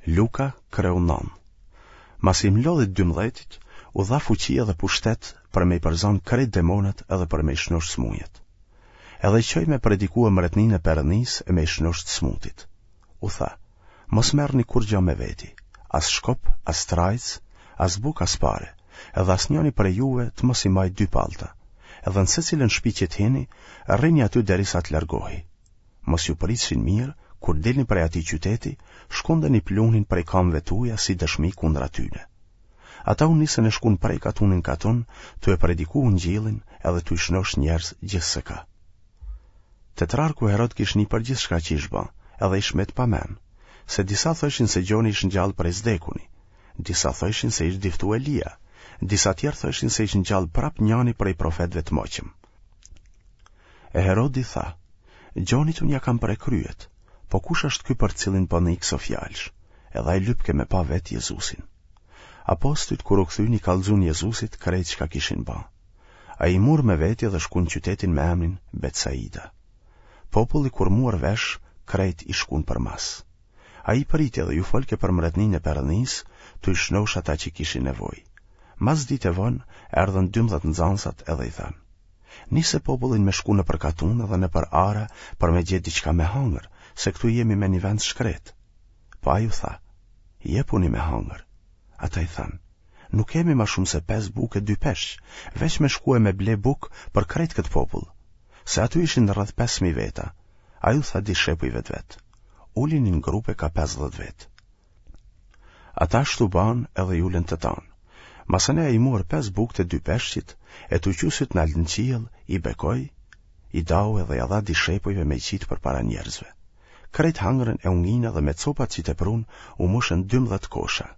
Luka, kreu 9. Masi i mlodhi të dymbëdhjetit, u dha fuqi edhe pushtet për me i përzanë krejt demonët edhe për me i shnosh smujet. Edhe i çoi me predikue mretninë e Perëndisë e me i shnosh të smutit. U tha, mos merrni kurgja me veti, as shkop, as trajcë, as bukë as pare, edhe asnjoni prej juve të mos i majë dy pallta, edhe në secilën shpi që të hini, rrini aty derisa të largohi. Mos ju pritshin mirë, kur dilni prej atij qyteti, shkundeni pluhnin prej kamëve tuaja si dëshmi kundra tyne. Ata u nisën e shkun prej katuni n'katun, tu e prediku ungjillin edhe tu i shnosh njerëz gjithseka. Tetrarku Herod kish ni për gjithçka që ish ba, edhe ish met pa men, se disa thojshin se Gjoni ish ngjallë prej s'dekuni, disa thojshin se ish diftu Elia, disa tjerë thojshin se ish ngjallë prap njani prej profetëve të moçëm. E Herodi tha, Gjonit unë ia kam pre kryet, po kush është ky për të cilin po nij këso fjalësh, edhe ai lypke me pa vetë Jezusin. Apostujt kur u kthyn i kallxun Jezusit krejt çka kishin ba. Ai i mur me veti dhe shkun qytetin me emrin Betsaida. Populli kur muar vesh, krejt i shkun përmas. Ai i priti dhe ju folke për mretninë e Perëndisë, tu i shnosh ata që kishin nevojë. Mas dite vonë, erdhën 12 nxansat edhe i thanë. Nise popullin me shku nëpër katune dhe nëpër ara për me gjetë diçka me hangër, se këtu jemi me një vend shkretë. Po ai u tha, jepuni me hangër. Ata i thanë, nuk kemi ma shumë se pesë bukë e dy peshq, veç me shku e me ble bukë për krejt këtë popull. Se aty ishin rreth 5.000 veta, ai u tha dishepujve të vet, ulini në grupe ka 50 vetë. Ata ashtu banë edhe i ulën të tanë. Masanej ai mur pesë bukët e dy peshqit, e tu çu sytë nalt në qiell, i bekoi, i dau edhe ia dha dishepujve me i qitë përpara njerëzve. Krejt hangrën e u nginë dhe me copat që teprun u mushën 12 kosha.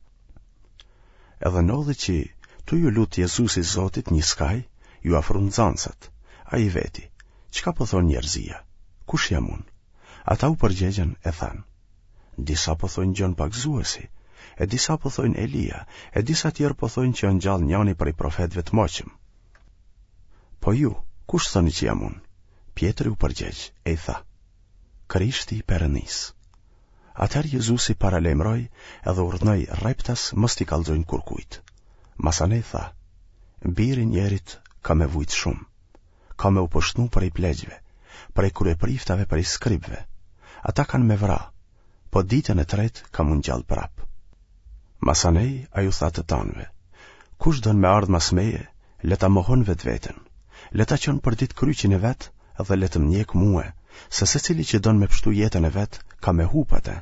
Edhe ndodhi që tu ju lut Jezusi Zotit një skaj, iu afrun nxansat. Ai i veti, çka po thonë njerëzia? Kush jam unë? Ata u përgjegjën e thanë, disa po thojnë Gjon Pagëzuesi, e disa po thojnë Elia, e disa tjerë po thojnë që është ngjallë njani prej profetëve të moçëm. Po ju, kush thoni që jam unë? Pjetri u përgjegj e i tha, Krishti i Perëndisë. Atëherë Jezusi paralajmëroi edhe urdhnoi rreptas mos t'i kallxojnë kurkujt. Masanej tha, Biri i njerit ka me vujt shumë, ka me u poshtnu prej pleqve, prej kryepriftave prej skribëve. Ata kanë me vra, po ditën e tretë ka m'u ngjallë prapë. Masanej ai u tha të tanëve, kush don me ardhë mas meje, le ta mohon vetveten, le ta çon përditë kryqin e vet dhe le të më ndjekë mue, se secili që don me pshtu jetën e vet, ka me hup atë,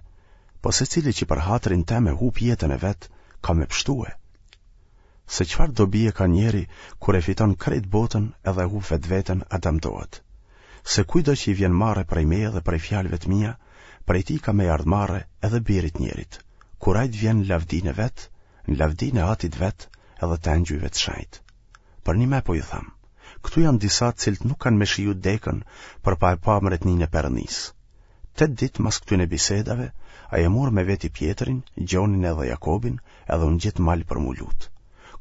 po secili që për hatrin tem e hup jetën e vet, ka me pshtue. Se çfarë dobie ka njeri kur e fiton krejt botën edhe e hup vetveten a damtohet. Se kujtdo që i vjen marre prej meje dhe prej fjalëve të mia, prej tij ka me i ardhë marre edhe birit njerit, kur ai të vjen në lavdinë e vet, në lavdinë e atit vet edhe të engjujve të shenjtë. Përnime po ju them, këtu janë disa të cilët nuk kanë me shiju dekën për pa e pa mretninë e Perëndisë. Tetë ditë mas këtyne bisedave, ai e mur me veti Pjetrin, Gjonin edhe Jakobin, edhe u ngjit n'mal për m'u lut.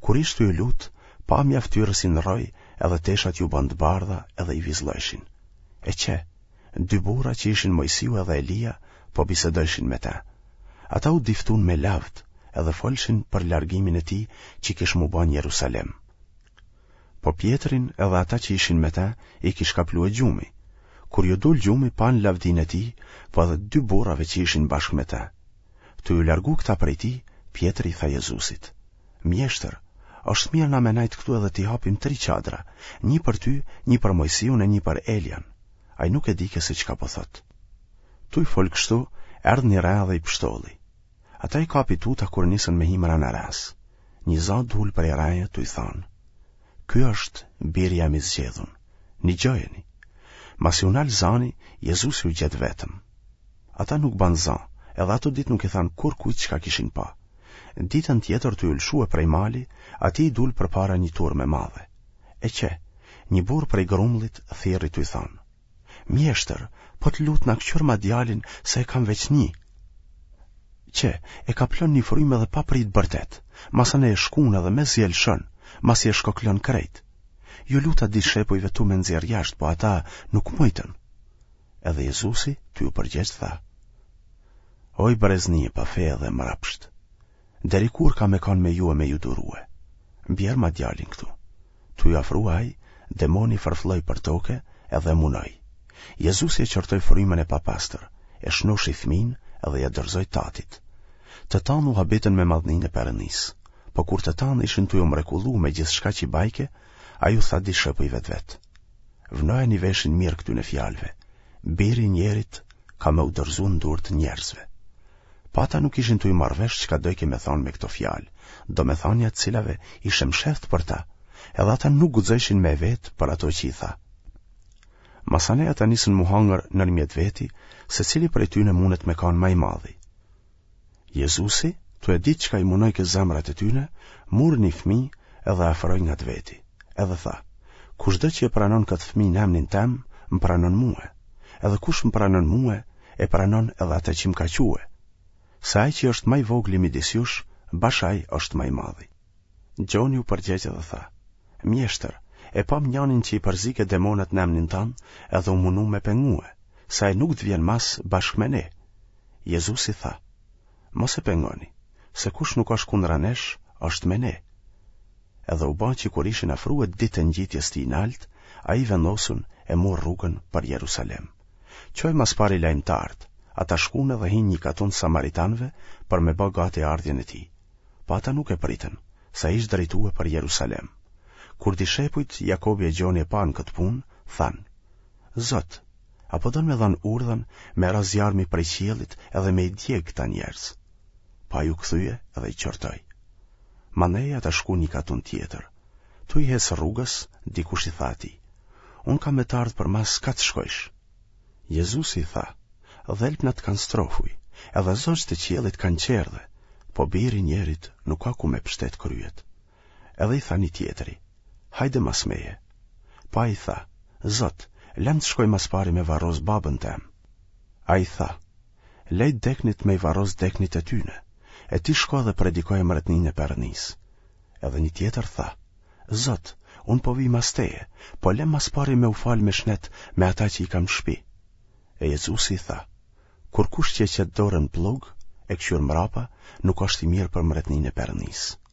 Kur ish tu u lut, pamja e fytyrës i ndrroi edhe teshat iu banë të bardha edhe i vizllojshin. E qe, dy burra që ishin Moisiu edhe Elia, po bisedojshin me te. Ata u diftun me lavd edhe folshin për largimin e tij që kish m'u ba n'Jerusalem. Po Pjetrin edhe ata që ishin me te i kish kaplue gjumi. Kur ju dul gjumi panë lavdinë e tij, po edhe dy burrave që ishin bashkë me te. Tu ju largu këta prej tij, Pjetri i tha Jezusit: Mjeshtër, është mirë na me nejt këtu edhe t'i hapim tri çadra, një për ty, një për Moisiun e një për Elian. Ai nuk e dike se çka po thotë. Tuj fol kështu, erdh një re dhe i pshtolli. Ata i kapi tuta kur nisën me hi mrena resë. Një za dul prej reje tuj thanë. Ky është biri jem i zgjedhun, nigjojeni. Masi u nal zani, Jezusi u gjet vetëm. Ata nuk banë za, edhe ato ditë nuk i thanë kurkujt çka kishin pa. Ditën tjetër tuj u lëshue prej mali, atij i dul përpara një turmë e madhe. E qe, një burrë prej grumullit thirri tuj thanë. Mjeshtër, po të lutna këqyrma djalin se e kam veç një. Qe, e kaplon një frymë edhe paprit bërtet, masanej e shkun edhe mezi e lëshon, masi e shkoklon krejt. Ju luta dishepujve tu me nxjerrë jashtë, po ata nuk mujtën. Edhe Jezusi, tuj u përgjegj tha. Oj brezni e pafe edhe e mrapsht, deri kur kam me kanë me ju e me ju durue? Bjerma djalin këtu. Tu ju afrue ai, demoni fërflloi për toke edhe e munoi. Jezusi e qortoi frymën e papastër, e shnoshi fëmin edhe ia dorëzoi tatit. Të tanë u habitën me madhninë e Perëndisë. Po kur të tanë ishin tuj u mrekullu me gjithçka që bajke, ai u tha dishepujve të vet. Vnojani veshin mirë këtyne fjalëve, Biri i njerit ka me u dorëzu në durë të njerëzve. Po ata nuk ishin tuj marrë vesh çka dojke me thanë me këto fjalë, domethënia e të cilave ishte mshehtë për ta, edhe ata nuk guxojshin me e vetë për ato që i tha. Masanej ata nisën m'u hangër nërmjet veti, se cili prej tyne mundet me kanë ma i madhi. Jezusi, tu e ditë çka i munojke zemrat e tyne, mur një fëmi edhe e afroi ngat veti, edhe tha, kushdo që e pranon këtë fëmi në emnin tem, më pranon mue, edhe kush më pranon mue, e pranon edhe atë që më ka çue. Se ai që është ma i vogli midis jush, bash ai është ma i madhi. Gjoni u përgjegj edhe tha, Mjeshtër, e pamë njanin që i përzike demonët në emnin tand edhe u munum me pengue, se ai nuk të vjen mas bashkë me ne. Jezusi tha, Mos e pengoni, se kush nuk është kundra nesh, është me ne. Edhe u ba që kur ishin afrue ditët e ngjitjes tij nalt, ai i vendosun e mur rrugën për Jerusalem. Çoi mas pari lajmëtarët, ata shkun edhe hinë n'një katund samaritanëve për me ba gati ardhjen e tij. Po ata nuk e pritën, se ai ish drejtue për Jerusalem. Kur dishepujt Jakobi e Gjoni e panë këtë punë, thanë, Zot, a po don me dhanë urdhën me ra zjarmi prej qiellit edhe me i djegë këta njerëz? Po ai u kthye edhe i qortoi. Mandej ata shkuan n'një katund tjetër. Tuj hecë rrugës, dikush i tha atij, Unë kam me të ardhë përmas ka të shkojsh. Jezusi i tha, Dhelpnat kanë strofuj, edhe zogjtë e qiellit kanë çerdhe, po biri i njerit nuk ka ku me pështet kryet. Edhe i tha një tjetri, Hajde mas meje. Po ai tha, Zot, lem të shkoj mas pari me varros babën tem. Ai tha, Lej t'deknit me i varros t'deknit e tyne, e ti shko dhe predikoje mretninë e Perëndisë. Edhe një tjetër tha, Zot, unë po vij mas teje, po lem mas pari me u falë me shnet me ata që i kam në shpi. E Jezusi i tha, Kurkush që e qet dorën n'pllug, e këqyr mrapa, nuk është i mirë për mretninë e Perëndisë.